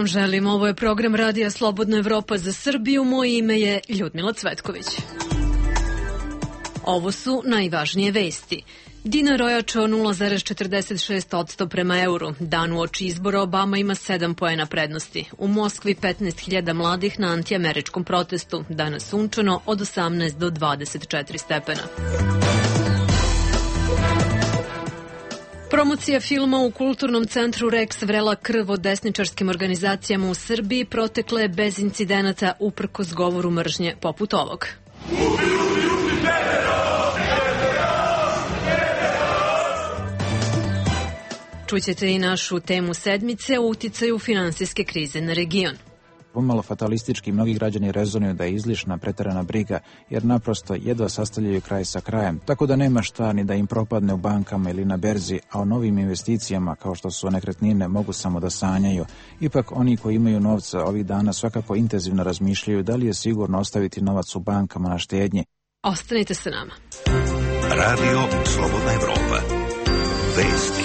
vam želim. Ovo je program Radija Slobodna Evropa za Srbiju. Moje ime je Ljudmila Cvetković. Ovo su najvažnije vesti. Dinar ojačao 0,46% prema euru. Dan uoči izbora Obama ima 7 poena prednosti. U Moskvi 15.000 mladih na antiameričkom protestu. Danas sunčano od 18 do 24 stepena. Promocija filma u kulturnom centru Rex vrela krv od desničarskim organizacijama u Srbiji protekla je bez incidenata uprkos govoru mržnje poput ovog. Čućete i našu temu sedmice o uticaju finansijske krize na region. Pomalo fatalistički mnogi građani rezonuju da je izlišna preterana briga, jer naprosto jedva sastavljaju kraj sa krajem, tako da nema šta ni da im propadne u bankama ili na berzi, a o novim investicijama, kao što su nekretnine, mogu samo da sanjaju. Ipak oni koji imaju novca ovih dana svakako intenzivno razmišljaju da li je sigurno ostaviti novac u bankama na štednji. Ostanite sa nama. Radio Slobodna Evropa. Vesti.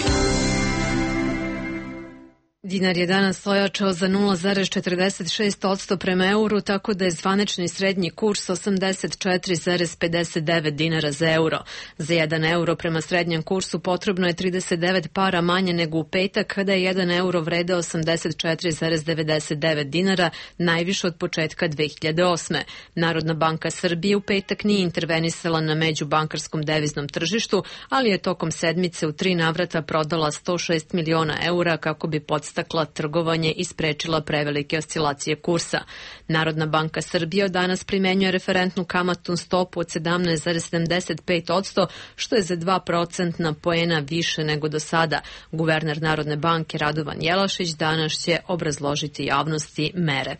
Dinar je danas ojačao za 0,46% prema euru, tako da je zvanični srednji kurs 84,59 dinara za euro. Za 1 euro prema srednjem kursu potrebno je 39 para manje nego u petak, kada je 1 euro vredeo 84,99 dinara, najviše od početka 2008. Narodna banka Srbije u petak nije intervenisala na međubankarskom deviznom tržištu, ali je tokom sedmice u 3 navrata prodala 106 miliona eura kako bi podstakla trgovanje i sprečila prevelike oscilacije kursa. Narodna banka Srbije od danas primenjuje referentnu kamatnu stopu od 17,75%, što je za 2% poena više nego do sada. Guverner Narodne banke Radovan Jelašić danas će obrazložiti javnosti mere.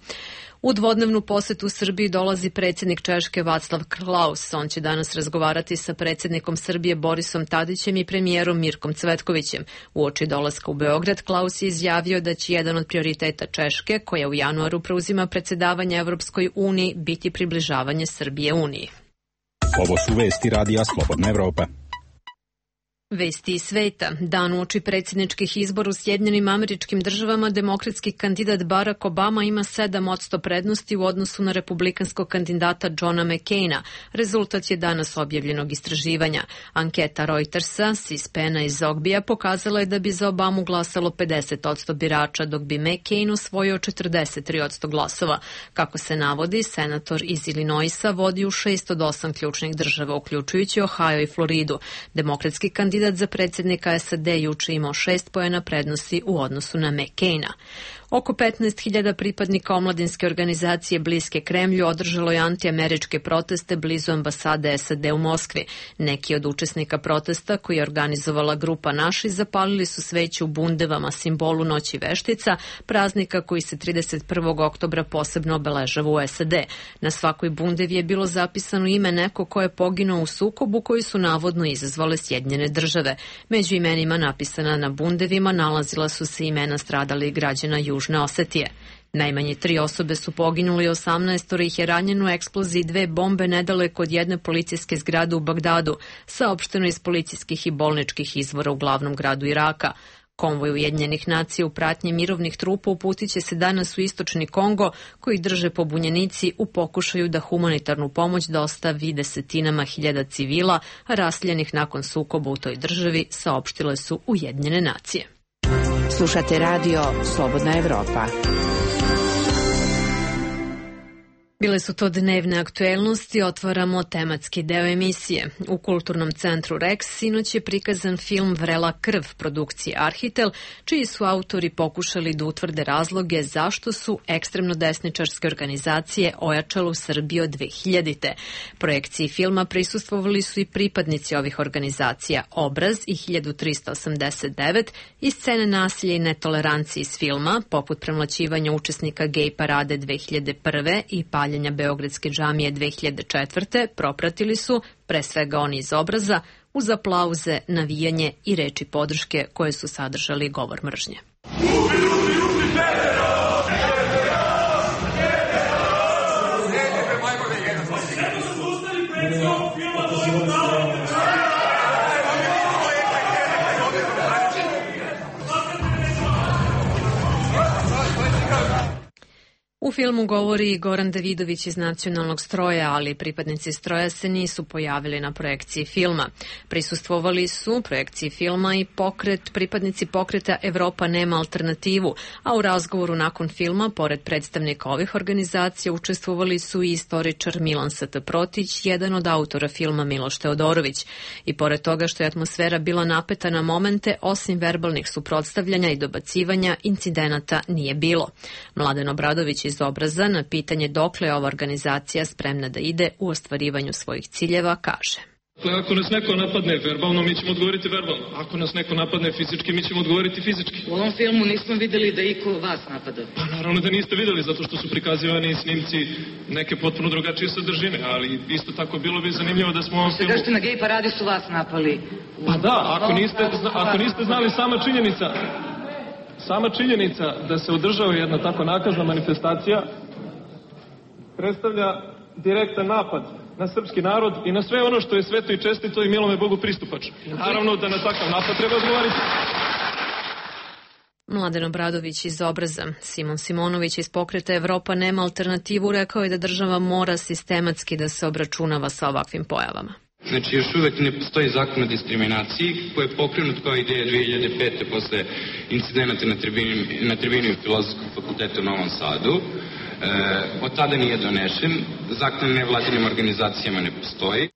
U dvodnevnu posetu Srbiji dolazi predsjednik Češke Václav Klaus. On će danas razgovarati sa predsjednikom Srbije Borisom Tadićem i premijerom Mirkom Cvetkovićem. Uoči dolaska u Beograd, Klaus je izjavio da će jedan od prioriteta Češke, koja u januaru preuzima predsjedavanje Evropskoj uniji, biti približavanje Srbije Uniji. Ovo su vesti Radija Slobodna Evropa. Vesti iz sveta. Dan uoči predsjedničkih izbora u Sjedinjenim Američkim Državama demokratski kandidat Barack Obama ima 7% prednosti u odnosu na republikanskog kandidata Johna McCaina. Rezultat je danas objavljenog istraživanja. Anketa Reutersa, CISPENA i Zogbija pokazala je da bi za Obamu glasalo 50% birača, dok bi McCain osvojio 43% glasova. Kako se navodi, senator iz Illinoisa vodi u 6 od 8 ključnih država, uključujući Ohio i Floridu. Demokratski kandidat za predsjednika SAD juče imao 6 poena prednosti u odnosu na McCaina. Oko 15.000 pripadnika omladinske organizacije bliske Kremlju održalo je antiameričke proteste blizu ambasade SAD u Moskvi. Neki od učesnika protesta, koji je organizovala grupa Naši, zapalili su sveće u bundevama, simbolu Noći veštica, praznika koji se 31. oktobra posebno obeležava u SAD. Na svakoj bundevi je bilo zapisano ime neko ko je poginuo u sukobu koji su navodno izazvale Sjedinjene Države. Među imenima napisana na bundevima nalazila su se imena stradalih građana Južne Osetije. Najmanje 3 osobe su poginuli, 18 ih je ranjeno u eksploziji 2 bombe nedaleko od jedne policijske zgrade u Bagdadu, saopšteno iz policijskih i bolničkih izvora u glavnom gradu Iraka. Konvoj Ujedinjenih nacija u pratnji mirovnih trupa uputit će se danas u istočni Kongo, koji drže pobunjenici u pokušaju da humanitarnu pomoć dostavi desetinama hiljada civila raseljenih nakon sukoba u toj državi, saopštile su Ujedinjene nacije. Slušate radio Slobodna Evropa. Bile su to dnevne aktuelnosti, otvaramo tematski deo emisije. U kulturnom centru Rex sinoć je prikazan film Vrela krv produkcije Arhitel, čiji su autori pokušali da utvrde razloge zašto su ekstremno desničarske organizacije ojačale u Srbiji od 2000. Projekciji filma prisustvovali su i pripadnici ovih organizacija Obraz i 1389 i scene nasilja i netolerancije iz filma, poput premlaćivanja učesnika gej parade 2001. i paljenja Beogradske džamije 2004. propratili su, pre svega oni iz Obraza, uz aplauze, navijanje i reči podrške koje su sadržali govor mržnje. filmu govori i Goran Davidović iz Nacionalnog stroja, ali pripadnici stroja se nisu pojavili na projekciji filma. Prisustvovali su projekciji filma i pripadnici pokreta Evropa nema alternativu, a u razgovoru nakon filma, pored predstavnika ovih organizacija, učestvovali su i istoričar Milan St. Protić, jedan od autora filma Miloš Teodorović. I pored toga što je atmosfera bila napeta na momente, osim verbalnih suprotstavljanja i dobacivanja, incidenata nije bilo. Mladen Obradović iz Obraza na pitanje dokle je ova organizacija spremna da ide u ostvarivanju svojih ciljeva kaže: Ako nas neko napadne verbalno, mi ćemo odgovoriti verbalno. Ako nas neko napadne fizički, mi ćemo odgovoriti fizički. U ovom filmu nismo videli da iko vas napada. Pa naravno da niste videli, zato što su prikazivani snimci neke potpuno drugačije sadržine, ali isto tako bilo bi zanimljivo da smo u ovom filmu... Kažete, na gej paradi su vas napali. Pa da, ako niste znali, sama činjenica da se održava jedna tako nakažna manifestacija predstavlja direktan napad na srpski narod i na sve ono što je sveto i čestito i milome Bogu pristupačno. Naravno da na takav napad treba odgovoriti. Mladen Obradović iz Obraza. Simon Simonović iz pokreta Evropa nema alternativu rekao je da država mora sistematski da se obračunava sa ovakvim pojavama. Znači, još uvek ne postoji zakon o diskriminaciji koji je pokrenut kao ideja 2005. posle incidenata na tribini Filozofskog fakulteta u Novom Sadu. Od tada nije donešen, zakon o nevladinim organizacijama ne postoji.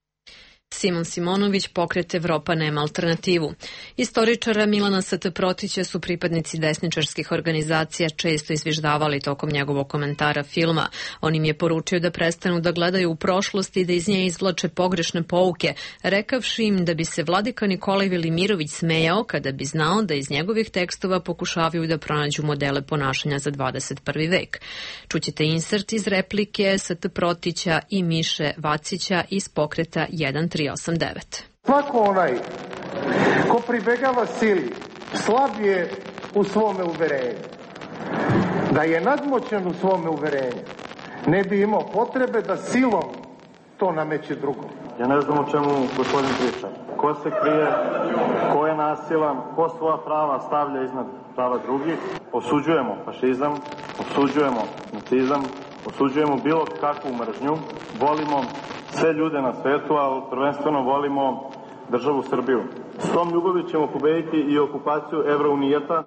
Simon Simonović, pokret Evropa nema alternativu. Istoričara Milana St. Protića su pripadnici desničarskih organizacija često izviždavali tokom njegovog komentara filma. On im je poručio da prestanu da gledaju u prošlost i da iz nje izvlače pogrešne pouke, rekavši im da bi se vladika Nikolaj Velimirović smejao kada bi znao da iz njegovih tekstova pokušavaju da pronađu modele ponašanja za 21. vek. Čućete insert iz replike St. Protića i Miše Vacića iz pokreta 1389. Svako onaj ko pribegava sili slab je u svome uverenju. Da je nadmoćan u svome uverenju, ne bi imao potrebe da silom to nameće drugom. Ja ne znam o čemu gospodin priča. Ko se krije, ko je nasilan, ko svoja prava stavlja iznad prava drugih. Osuđujemo fašizam, osuđujemo nacizam, osuđujemo bilo kakvu mržnju, volimo sve ljude na svetu, ali prvenstveno volimo državu Srbiju. S tom ljubavi ćemo pobediti i okupaciju Evrounijeta.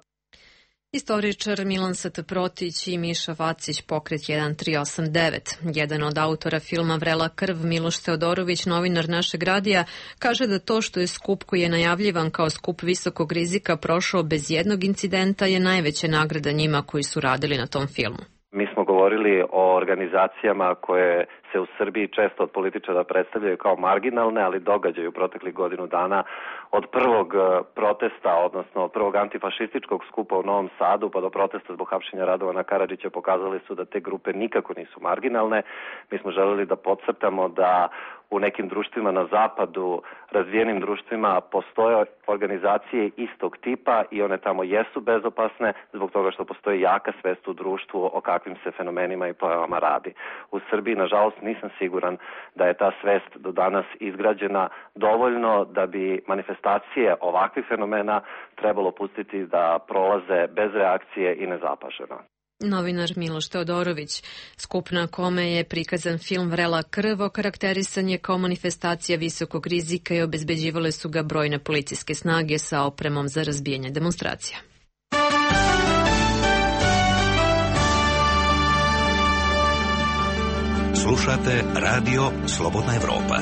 Istoričar Milan St. Protić i Miša Vacić, pokret 1389. Jedan od autora filma Vrela krv, Miloš Teodorović, novinar našeg radija, kaže da to što je skup koji je najavljivan kao skup visokog rizika prošao bez jednog incidenta je najveća nagrada njima koji su radili na tom filmu. Mi smo govorili o organizacijama koje se u Srbiji često od političara predstavljaju kao marginalne, ali događaju proteklih godinu dana od prvog protesta, odnosno od prvog antifašističkog skupa u Novom Sadu pa do protesta zbog hapšenja Radovana Karadžića pokazali su da te grupe nikako nisu marginalne. Mi smo želeli da podcrtamo da u nekim društvima na zapadu, razvijenim društvima, postoje organizacije istog tipa i one tamo jesu bezopasne zbog toga što postoji jaka svest u društvu o kakvim se fenomenima i pojavama radi. U Srbiji, nažalost, nisam siguran da je ta svest do danas izgrađena dovoljno da bi manifestacije ovakvih fenomena trebalo pustiti da prolaze bez reakcije i nezapaženo. Novinar Miloš Teodorović. Skup na kome je prikazan film Vrela krv okarakterisan je kao manifestacija visokog rizika i obezbeđivale su ga brojne policijske snage sa opremom za razbijanje demonstracija. Slušate Radio Slobodna Evropa.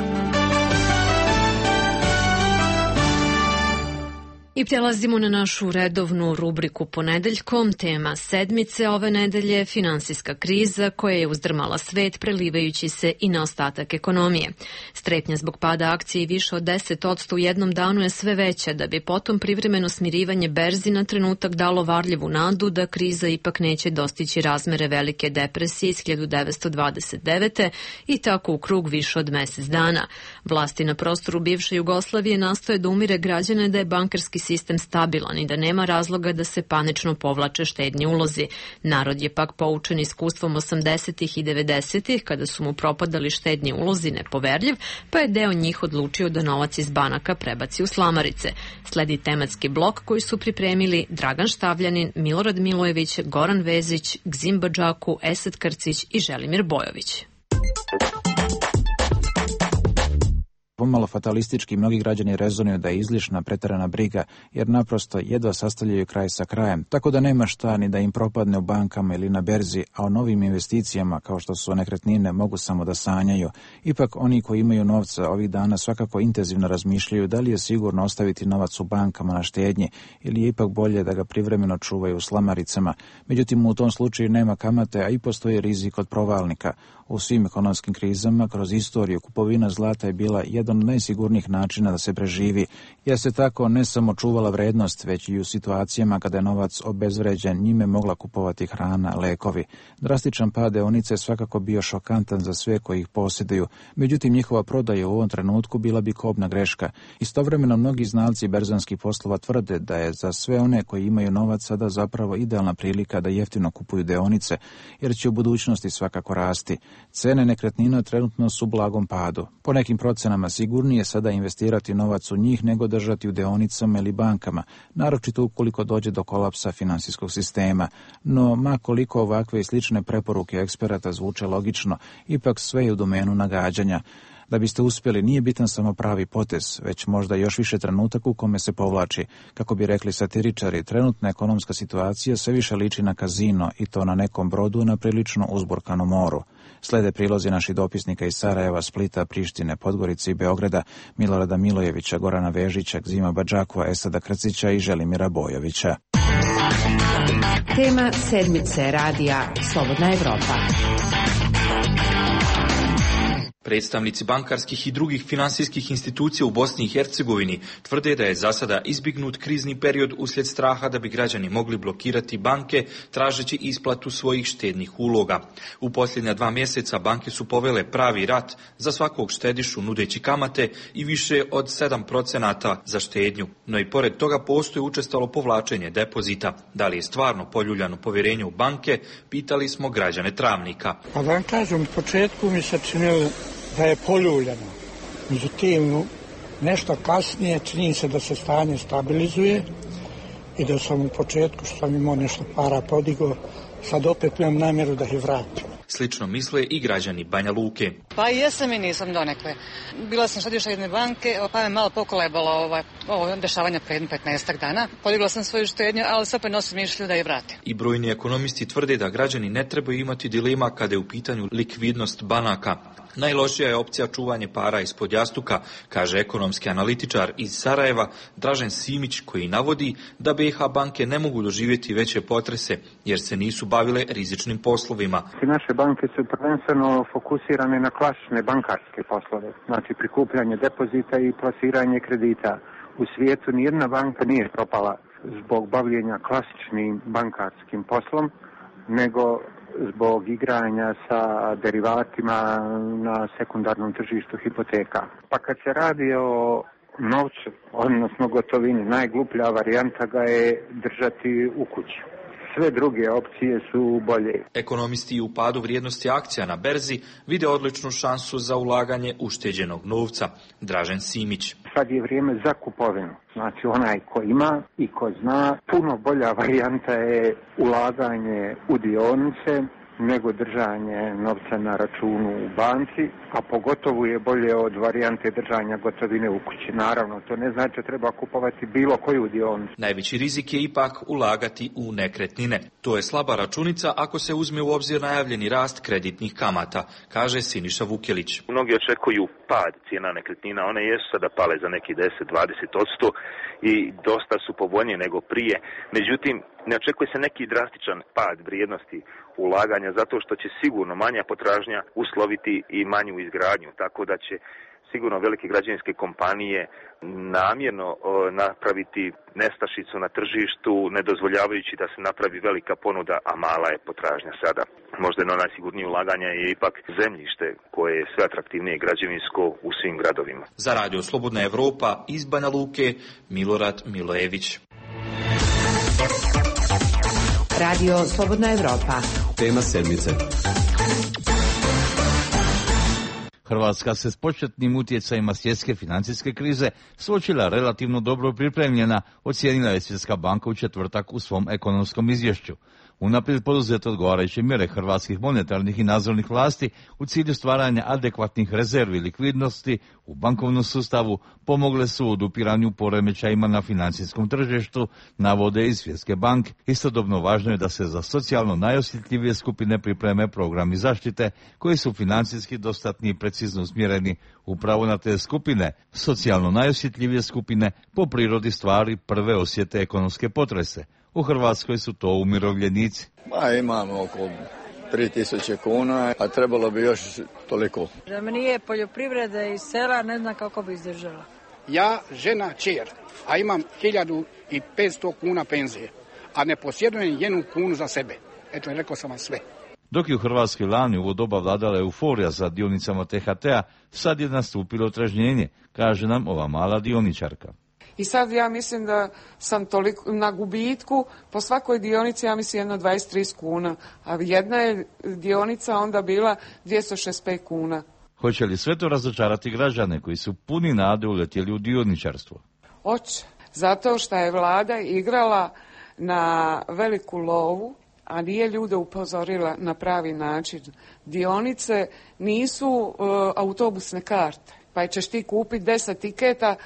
I prelazimo na našu redovnu rubriku Ponedeljkom. Tema sedmice ove nedelje – finansijska kriza koja je uzdrmala svet, prelivajući se i na ostatak ekonomije. Strepnja zbog pada akcije i više od 10% u jednom danu je sve veća, da bi potom privremeno smirivanje berzi na trenutak dalo varljivu nadu da kriza ipak neće dostići razmere velike depresije iz 1929. i tako u krug više od mesec dana. Vlasti na prostoru bivše Jugoslavije nastoje da umire građane da je bankarski sistem stabilan i da nema razloga da se panično povlače štednji ulozi. Narod je pak poučen iskustvom 80. i 90. kada su mu propadali štednji ulozi nepoverljiv, pa je deo njih odlučio da novac iz banaka prebaci u slamarice. Sledi tematski blok koji su pripremili Dragan Štavljanin, Milorad Milojević, Goran Vezić, Gzim Badžaku, Esad Krcić i Želimir Bojović. Pomalo fatalistički mnogi građani rezonuju da je izlišna preterana briga, jer naprosto jedva sastavljaju kraj sa krajem, tako da nema šta ni da im propadne u bankama ili na berzi, a o novim investicijama, kao što su nekretnine, mogu samo da sanjaju. Ipak oni koji imaju novca ovih dana svakako intenzivno razmišljaju da li je sigurno ostaviti novac u bankama na štednji ili je ipak bolje da ga privremeno čuvaju u slamaricama. Međutim, u tom slučaju nema kamate, a i postoji rizik od provalnika. U svim ekonomskim krizama kroz istoriju kupovina zlata je bila jedan od najsigurnijih načina da se preživi, jer se tako ne samo čuvala vrednost, već i u situacijama kada je novac obezvređen njime mogla kupovati hrana, lekovi. Drastičan pad deonice je svakako bio šokantan za sve koji ih posjeduju, međutim njihova prodaja u ovom trenutku bila bi kobna greška. Istovremeno mnogi znalci berzanskih poslova tvrde da je za sve one koji imaju novac sada zapravo idealna prilika da jeftino kupuju deonice, jer će u budućnosti svakako rasti. Cene nekretnina trenutno su u blagom padu. Po nekim procenama sigurnije sada investirati novac u njih nego držati u deonicama ili bankama, naročito ukoliko dođe do kolapsa finansijskog sistema. No, ma koliko ovakve i slične preporuke eksperata zvuče logično, ipak sve je u domenu nagađanja. Da biste uspjeli nije bitan samo pravi potez, već možda još više trenutak u kome se povlači. Kako bi rekli satiričari, trenutna ekonomska situacija sve više liči na kazino i to na nekom brodu na prilično uzburkanom moru. Slede prilozi naših dopisnika iz Sarajeva, Splita, Prištine, Podgorice i Beograda, Milorada Milojevića, Gorana Vežića, Gzima Badžakova, Esada Krcića i Želimira Bojovića. Tema sedmice radija Slobodna Evropa. Predstavnici bankarskih i drugih finansijskih institucija u Bosni i Hercegovini tvrde da je za sada izbjegnut krizni period uslijed straha da bi građani mogli blokirati banke tražeći isplatu svojih štednih uloga. U posljednja 2 mjeseca banke su povele pravi rat za svakog štedišu nudeći kamate i više od 7% za štednju. No i pored toga postoji učestalo povlačenje depozita. Da li je stvarno poljuljano povjerenje u banke, pitali smo građane Travnika. Pa da vam kažem, u početku mi se činilo da je poljuljano. Međutim, nešto kasnije čini se da se stanje stabilizuje i da sam u početku što sam imao nešto para podigao, sad opet imam namjeru da ih vratim. Slično misle i građani Banja Luke. Pa i jesam i nisam donekle. Bila sam štediša jedne banke, pa me malo pokolebalo ovo dešavanje pred 15 dana. Podigla sam svoju štednju, ali se opet nosim mišlju da je vratim. I brojni ekonomisti tvrde da građani ne trebaju imati dilema kada je u pitanju likvidnost banaka. Najlošija je opcija čuvanje para ispod jastuka, kaže ekonomski analitičar iz Sarajeva Dražen Simić, koji navodi da BiH banke ne mogu doživjeti veće potrese jer se nisu bavile rizičnim poslovima. Naše banke su prvenstveno fokusirane na klasične bankarske poslove, znači prikupljanje depozita i plasiranje kredita. U svijetu nijedna banka nije propala zbog bavljenja klasičnim bankarskim poslom, nego zbog igranja sa derivatima na sekundarnom tržištu hipoteka. Pa kad se radi o novcu, odnosno gotovini, najgluplja varijanta ga je držati u kući. Sve druge opcije su bolje. Ekonomisti u padu vrijednosti akcija na berzi vide odličnu šansu za ulaganje ušteđenog novca. Dražen Simić. Sad je vrijeme za kupovinu. Znači onaj ko ima i ko zna, puno bolja varijanta je ulaganje u dionice nego držanje novca na računu u banci, a pogotovo je bolje od varijante držanja gotovine u kući. Naravno, to ne znači da treba kupovati bilo koju dionicu. Najveći rizik je ipak ulagati u nekretnine. To je slaba računica ako se uzme u obzir najavljeni rast kreditnih kamata, kaže Siniša Vukelić. Mnogi očekuju pad cijena nekretnina, one jesu sada pale za neki 10-20% i dosta su povoljnije nego prije. Međutim, Ne očekuje se neki drastičan pad vrijednosti ulaganja zato što će sigurno manja potražnja usloviti i manju izgradnju, tako da će sigurno velike građevinske kompanije namjerno napraviti nestašicu na tržištu, ne dozvoljavajući da se napravi velika ponuda, a mala je potražnja sada. Možda jedno najsigurnije ulaganja je ipak zemljište koje je sve atraktivnije građevinsko u svim gradovima. Za Radio Slobodna Evropa iz Banja Luke, Milorad Milojević. Radio Slobodna Evropa. Tema sedmice. Hrvatska se s početnim utjecajima svjetske financijske krize suočila relativno dobro pripremljena, ocijenila je Svjetska banka u četvrtak u svom ekonomskom izvješću. Unaprijed poduzete odgovarajuće mjere hrvatskih monetarnih i nadzornih vlasti u cilju stvaranja adekvatnih rezervi likvidnosti u bankovnom sustavu pomogle su u odupiranju poremećajima na financijskom tržištu, navode iz Svjetske banke. Istodobno važno je da se za socijalno najosjetljivije skupine pripreme programi zaštite koji su financijski dostatni i precizno usmjereni upravo na te skupine. Socijalno najosjetljivije skupine po prirodi stvari prve osjete ekonomske potrese. U Hrvatskoj su to umirovljenici. Imamo oko 3000 kuna, a trebalo bi još toliko. Da mi nije poljoprivreda i sela, ne znam kako bi izdržala. Ja, žena, čer, a imam 1500 kuna penzije, a ne posjedujem 1 kunu za sebe. Eto, rekao sam vam sve. Dok je u Hrvatskoj lani u ovo doba vladala euforija za dionicama THT-a, sad je nastupilo otrežnjenje, kaže nam ova mala dioničarka. I sad ja mislim da sam toliko na gubitku, po svakoj dionici ja mislim jedno 20-30 kuna, a jedna je dionica onda bila 265 kuna. Hoće li sve to razočarati građane koji su puni nade uletjeli u dioničarstvo? Hoće, zato što je vlada igrala na veliku lovu, a nije ljude upozorila na pravi način. Dionice nisu autobusne karte. Pa ćeš ti kupiti 10 tiketa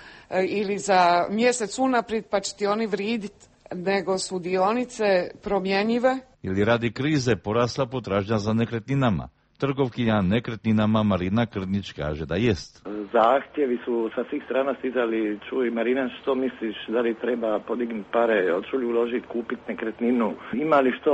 ili za mjesec unaprijed pa će ti oni vriditi, nego su dionice promjenjive. Ili radi krize porasla potražnja za nekretninama? Trgovkinja nekretninama Marina Krnić kaže da jest. Zahtjevi su sa svih strana stizali, čuj Marina, što misliš, da li treba podignuti pare, hoću li uložiti, kupiti nekretninu, ima li što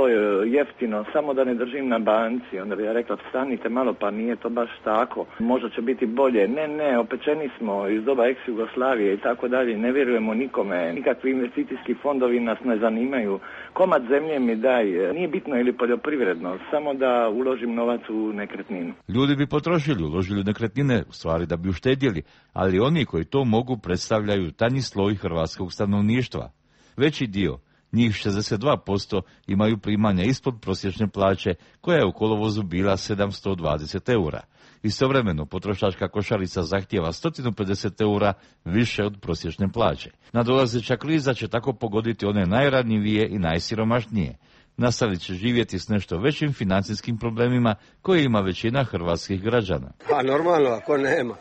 jeftino, samo da ne držim na banci. Onda bi ja rekla, stanite malo, pa nije to baš tako, možda će biti bolje. Ne, opečeni smo iz doba ex-Jugoslavije i tako dalje, ne vjerujemo nikome, nikakvi investicijski fondovi nas ne zanimaju, komad zemlje mi daj, nije bitno ili poljoprivredno, samo da uložim novac u nekretninu. Ljudi bi potrošili, uložili nekretnine, u stvari da bi uštedjeli, ali oni koji to mogu predstavljaju tanji sloj hrvatskog stanovništva. Veći dio, njih 62%, imaju primanja ispod prosječne plaće, koja je u kolovozu bila 720 eura. Istovremeno, potrošačka košarica zahtijeva 150 eura više od prosječne plaće. Nadolazeća kriza će tako pogoditi one najranjivije i najsiromašnije. Nastavit će živjeti s nešto većim financijskim problemima koje ima većina hrvatskih građana. Pa normalno, ako nema.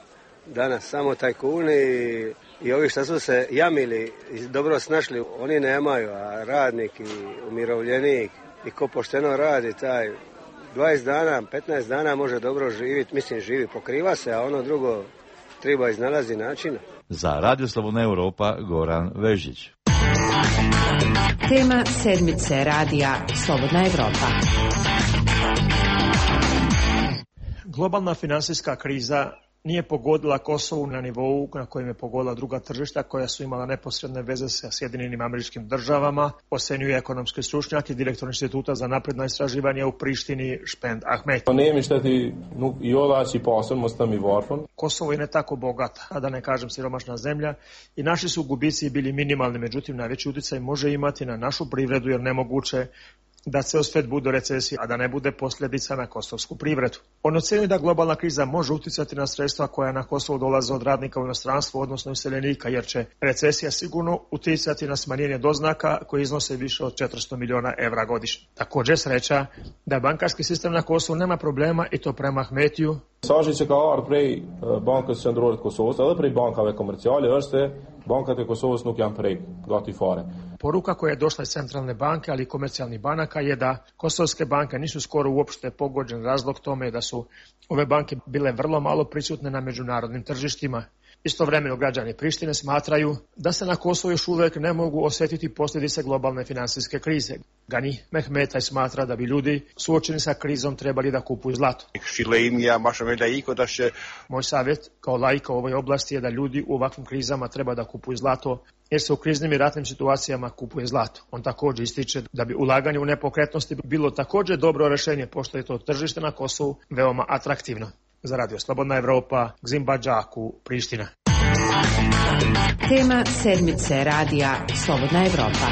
Danas samo tajkuni i ovi što su se jamili i dobro snašli, oni nemaju, a radnik i umirovljenik i ko pošteno radi, taj 20 dana, 15 dana može dobro živjeti, mislim živi, pokriva se, a ono drugo treba iznalazi načina. Za Radio Slobodna Evropa, Goran Vežić. Tema sedmice radija Slobodna Evropa. Globalna financijska kriza nije pogodila Kosovu na nivou na kojem je pogodila druga tržišta koja su imala neposredne veze sa Sjedinjenim Američkim Državama, ocenjuje ekonomski stručnjak i direktor Instituta za napredna istraživanja u Prištini Špend Ahmet. Kosovo je ne tako bogata, a da ne kažem siromašna zemlja, i naši su gubici bili minimalni, međutim najveći utjecaj može imati na našu privredu jer nemoguće da ceo svet bude u recesiji, a da ne bude posljedica na kosovsku privredu. On ocenjuje da globalna kriza može utjecati na sredstva koja na Kosovo dolaze od radnika u inostranstvu, odnosno iseljenika, jer će recesija sigurno utjecati na smanjenje doznaka koji iznose više od 400 miliona evra godišnje. Također sreća da bankarski sistem na Kosovu nema problema, i to prema Ahmetiju. Poruka koja je došla iz centralne banke, ali i komercijalnih banaka, je da kosovske banke nisu skoro uopšte pogođen. Razlog tome je da su ove banke bile vrlo malo prisutne na međunarodnim tržištima. Istovremeno građani Prištine smatraju da se na Kosovu još uvek ne mogu osjetiti posljedice globalne finansijske krize. Gani Mehmetaj smatra da bi ljudi suočeni sa krizom trebali da kupuju zlato. Moj savjet kao laika u ovoj oblasti je da ljudi u ovakvim krizama treba da kupuju zlato, jer se u kriznim i ratnim situacijama kupuje zlato. On također ističe da bi ulaganje u nepokretnosti bilo također dobro rješenje, pošto je to tržište na Kosovu veoma atraktivno. Za Radio Slobodna Evropa, Gzimba Džaku, Priština. Tema sedmice radija Slobodna Evropa.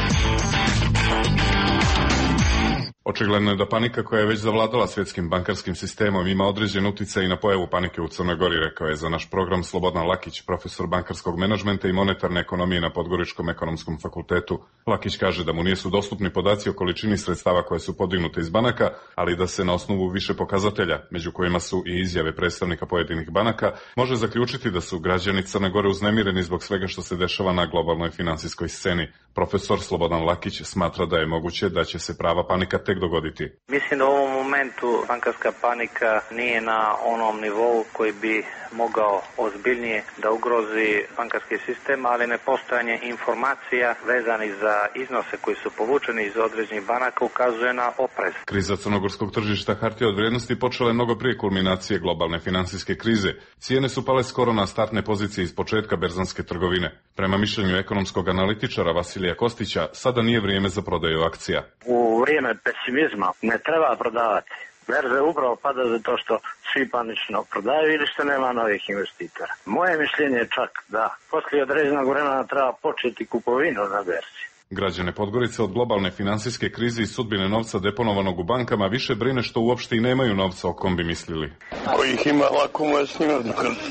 Očigledno je da panika koja je već zavladala svjetskim bankarskim sistemom ima određen utjecaj i na pojavu panike u Crnoj Gori, rekao je za naš program Slobodan Lakić, profesor bankarskog menadžmenta i monetarne ekonomije na Podgoričkom ekonomskom fakultetu. Lakić kaže da mu nisu dostupni podaci o količini sredstava koje su podignute iz banaka, ali da se na osnovu više pokazatelja, među kojima su i izjave predstavnika pojedinih banaka, može zaključiti da su građani Crne Gore uznemireni zbog svega što se dešava na globalnoj finansijskoj sceni. Profesor Slobodan Lakić smatra da je moguće da će se prava panika tek dogoditi. Mislim da u ovom momentu bankarska panika nije na onom nivou koji bi mogao ozbiljnije da ugrozi bankarski sistem, ali nepostojanje informacija vezanih za iznose koji su povučeni iz određenih banaka ukazuje na oprez. Kriza crnogorskog tržišta hartija od vrijednosti počela je mnogo prije kulminacije globalne finansijske krize. Cijene su pale skoro na startne pozicije iz početka berzanske trgovine. Prema mišljenju ekonomskog analitičara Vasilija Kostića, sada nije vrijeme za prodaju akcija. U vrijeme pesimizma ne treba prodavati. Berza upravo pada zato što svi panično prodaju ili što nema novih investitora. Moje mišljenje je čak da poslije određenog vremena treba početi kupovinu na berzi. Građane Podgorice od globalne finansijske krize i sudbine novca deponovanog u bankama više brine što uopšte i nemaju novca o kom bi mislili. Koji ih ima, lako mu je s njima,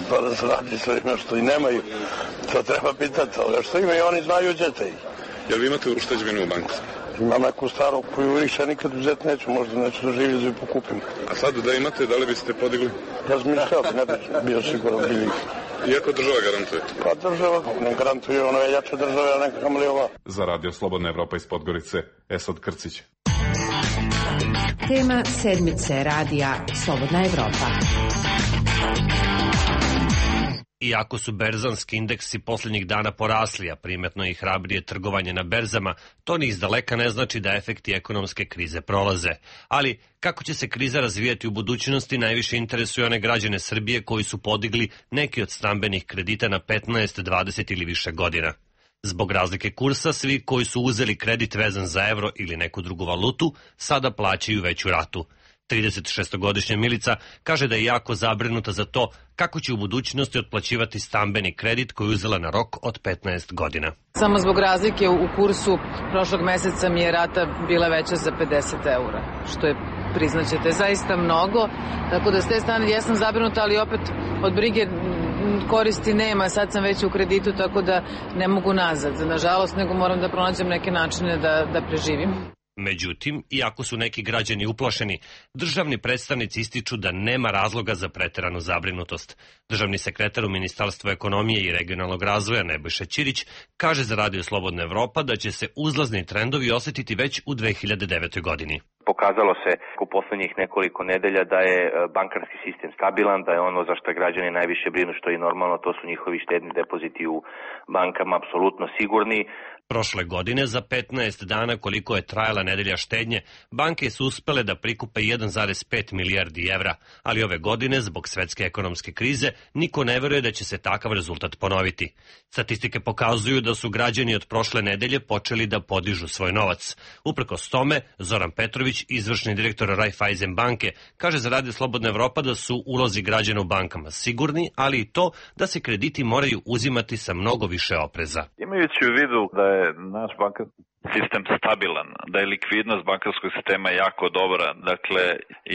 pa da se radi sa njima što i nemaju, to treba pitati, ali što imaju oni znaju džete ih. Jel vi imate ušteđevinu u banku? Imam neku staru koju više nikad uzeti neću, možda neću doživjeti da ju pokupim. A sad da imate, da li biste podigli? Razmišljao bi, ne bih bio siguran bili. Iako država garantuje? Pa država ne garantuje, ono je jače država, a neka kamali ova. Za Radio Slobodna Evropa iz Podgorice, Esad Krcić. Tema sedmice radija Slobodna Evropa. Iako su berzanski indeksi posljednjih dana porasli, a primetno i hrabrije trgovanje na berzama, to ni izdaleka ne znači da efekti ekonomske krize prolaze. Ali kako će se kriza razvijati u budućnosti najviše interesuje one građane Srbije koji su podigli neki od stambenih kredita na 15, 20 ili više godina. Zbog razlike kursa, svi koji su uzeli kredit vezan za evro ili neku drugu valutu, sada plaćaju veću ratu. 36-godišnja Milica kaže da je jako zabrinuta za to kako će u budućnosti otplaćivati stambeni kredit koji je uzela na rok od 15 godina. Samo zbog razlike u kursu prošlog meseca mi je rata bila veća za 50 eura, što je, priznaćete, zaista mnogo. Tako da s te strane jesam zabrinuta, ali opet od brige koristi nema. Sad sam već u kreditu, tako da ne mogu nazad, nažalost, nego moram da pronađem neke načine da preživim. Međutim, iako su neki građani uplašeni, državni predstavnici ističu da nema razloga za preteranu zabrinutost. Državni sekretar u Ministarstvu ekonomije i regionalnog razvoja Nebojša Ćirić kaže za Radio Slobodna Evropa da će se uzlazni trendovi osjetiti već u 2009. godini. Pokazalo se u posljednjih nekoliko nedelja da je bankarski sistem stabilan, da je ono za što građani najviše brinu, što je normalno, to su njihovi štedni depoziti u bankama apsolutno sigurni. Prošle godine, za 15 dana koliko je trajala nedelja štednje, banke su uspele da prikupe 1,5 milijardi evra, ali ove godine, zbog svetske ekonomske krize, niko ne veruje da će se takav rezultat ponoviti. Statistike pokazuju da su građani od prošle nedelje počeli da podižu svoj novac. Uprkos tome, Zoran Petrović, izvršni direktor Raiffeisen banke, kaže za Radio Slobodna Evropa da su ulozi građana u bankama sigurni, ali i to da se krediti moraju uzimati sa mnogo više opreza. Imajući u vidu da je naš bankarski sistem stabilan, da je likvidnost bankarskog sistema jako dobra, dakle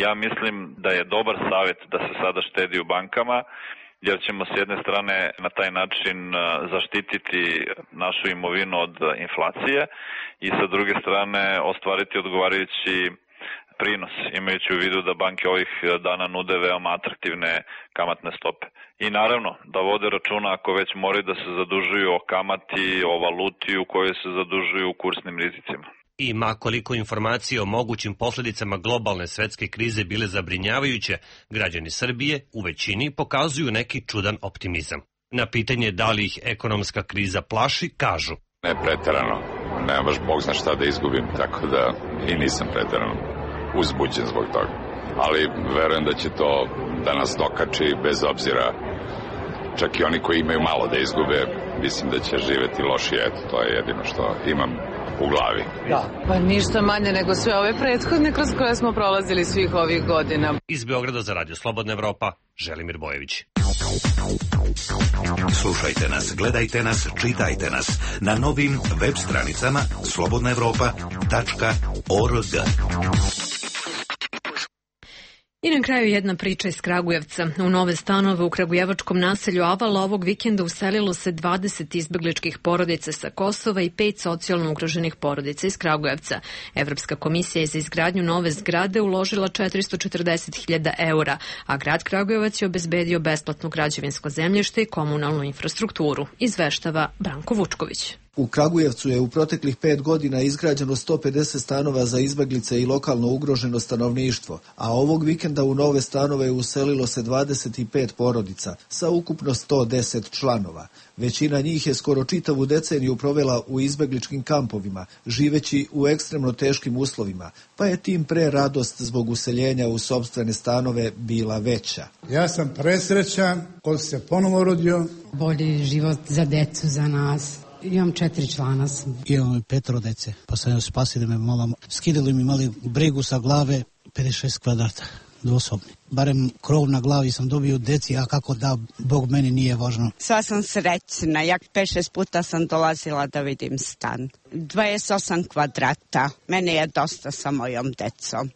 ja mislim da je dobar savjet da se sada štedi u bankama, jer ćemo s jedne strane na taj način zaštititi našu imovinu od inflacije i sa druge strane ostvariti odgovarajući prinos, imajući u vidu da banke ovih dana nude veoma atraktivne kamatne stope. I naravno da vode računa ako već moraju da se zadužuju o kamati, o valuti u kojoj se zadužuju u kursnim rizicima. I makoliko informacije o mogućim posljedicama globalne svetske krize bile zabrinjavajuće, građani Srbije u većini pokazuju neki čudan optimizam. Na pitanje da li ih ekonomska kriza plaši, kažu: Ne preterano, nema baš Bog zna šta da izgubim, tako da i nisam preterano uzbuđen zbog toga. Ali verujem da će to da nas dokači bez obzira, čak i oni koji imaju malo da izgube, mislim da će živeti lošije, eto, to je jedino što imam u glavi. Da. Pa ništa manje nego sve ove prethodne kroz koje smo prolazili svih ovih godina. Iz Beograda za Radio Slobodna Evropa, Želimir Bojević. Slušajte nas, gledajte nas, čitajte nas na novim web stranicama slobodnaevropa.org. I na kraju jedna priča iz Kragujevca. U nove stanove u kragujevačkom naselju Avala ovog vikenda uselilo se 20 izbegličkih porodica sa Kosova i 5 socijalno ugroženih porodica iz Kragujevca. Evropska komisija je za izgradnju nove zgrade uložila 440.000 eura, a grad Kragujevac je obezbedio besplatno građevinsko zemljište i komunalnu infrastrukturu, izveštava Branko Vučković. U Kragujevcu je u proteklih 5 godina izgrađeno 150 stanova za izbeglice i lokalno ugroženo stanovništvo, a ovog vikenda u nove stanove uselilo se 25 porodica sa ukupno 110 članova. Većina njih je skoro čitavu deceniju provela u izbegličkim kampovima, živeći u ekstremno teškim uslovima, pa je tim pre radost zbog useljenja u sopstvene stanove bila veća. Ja sam presrećan ko se ponovo rodio. Bolji život za decu, za nas. Imam 4 člana sam. Imam 5 dece, pa sam joj spasili me malo. Skidali mi mali brigu sa glave, 56 kvadrata, dvosobni. Barem krov na glavi sam dobio deci, a kako da, Bog meni nije važno. Sva sam srećna, jak 5-6 puta sam dolazila da vidim stan. 28 kvadrata, meni je dosta sa mojom decom.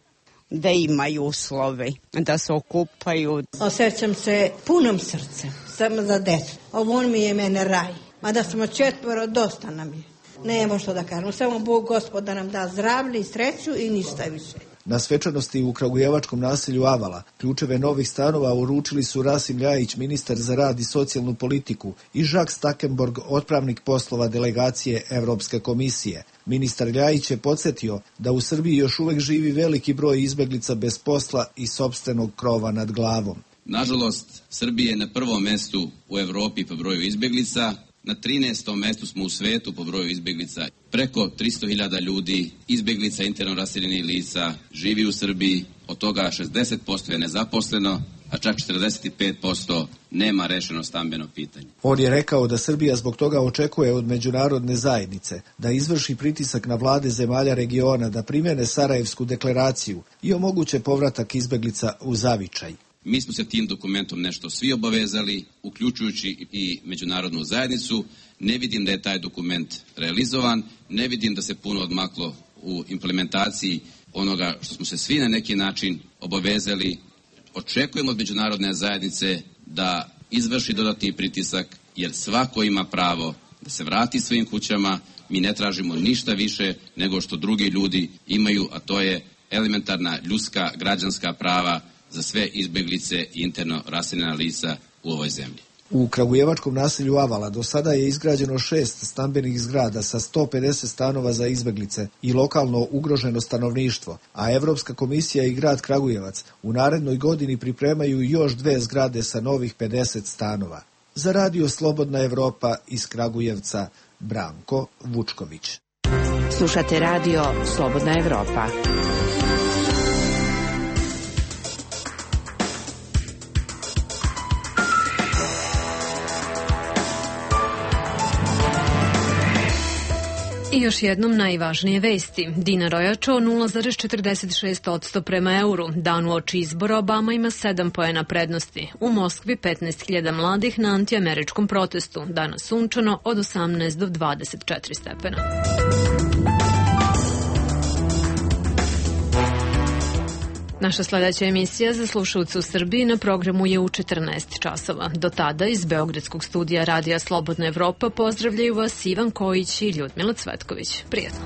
Da imaju uslovi, da se okupaju. Osjećam se punom srcem, samo za decu. Ovo mi je mene raj. Mada smo 4, dosta nam je. Nemo što da kažemo, samo Bog Gospod da nam da zdravlje i sreću i ništa više. Na svečanosti u kragujevačkom naselju Avala ključeve novih stanova uručili su Rasim Ljajić, ministar za rad i socijalnu politiku, i Žak Stakenborg, otpravnik poslova delegacije Evropske komisije. Ministar Ljajić je podsjetio da u Srbiji još uvek živi veliki broj izbeglica bez posla i sopstvenog krova nad glavom. Nažalost, Srbija je na prvom mestu u Evropi po broju izbeglica. Na 13. mestu smo u svetu po broju izbeglica. Preko 300.000 ljudi, izbeglica, interno raseljenih lica, živi u Srbiji. Od toga 60% je nezaposleno, a čak 45% nema rešeno stambeno pitanje. On je rekao da Srbija zbog toga očekuje od međunarodne zajednice da izvrši pritisak na vlade zemalja regiona da primene Sarajevsku deklaraciju i omoguće povratak izbeglica u zavičaj. Mi smo se tim dokumentom nešto svi obavezali, uključujući i međunarodnu zajednicu. Ne vidim da je taj dokument realizovan, ne vidim da se puno odmaklo u implementaciji onoga što smo se svi na neki način obavezali. Očekujemo od međunarodne zajednice da izvrši dodatni pritisak, jer svako ima pravo da se vrati svojim kućama. Mi ne tražimo ništa više nego što drugi ljudi imaju, a to je elementarna ljudska građanska prava za sve izbeglice i interno raseljena lica u ovoj zemlji. U kragujevačkom naselju Avala do sada je izgrađeno 6 stambenih zgrada sa 150 stanova za izbeglice i lokalno ugroženo stanovništvo, a Evropska komisija i grad Kragujevac u narednoj godini pripremaju još 2 zgrade sa novih 50 stanova. Za Radio Slobodna Evropa iz Kragujevca, Branko Vučković. Slušate Radio Slobodna Evropa. I još jednom najvažnije vesti. Dinar ojačao 0,46% prema euru. Dan uoči izbora Obama ima 7 poena prednosti. U Moskvi 15.000 mladih na antiameričkom protestu. Danas sunčano od 18 do 24 stepena. Naša sledeća emisija za slušalce u Srbiji na programu je u 14 časova. Do tada iz Beogradskog studija Radija Slobodna Evropa pozdravljaju vas Ivan Kojić i Ljudmila Cvetković. Prijetno.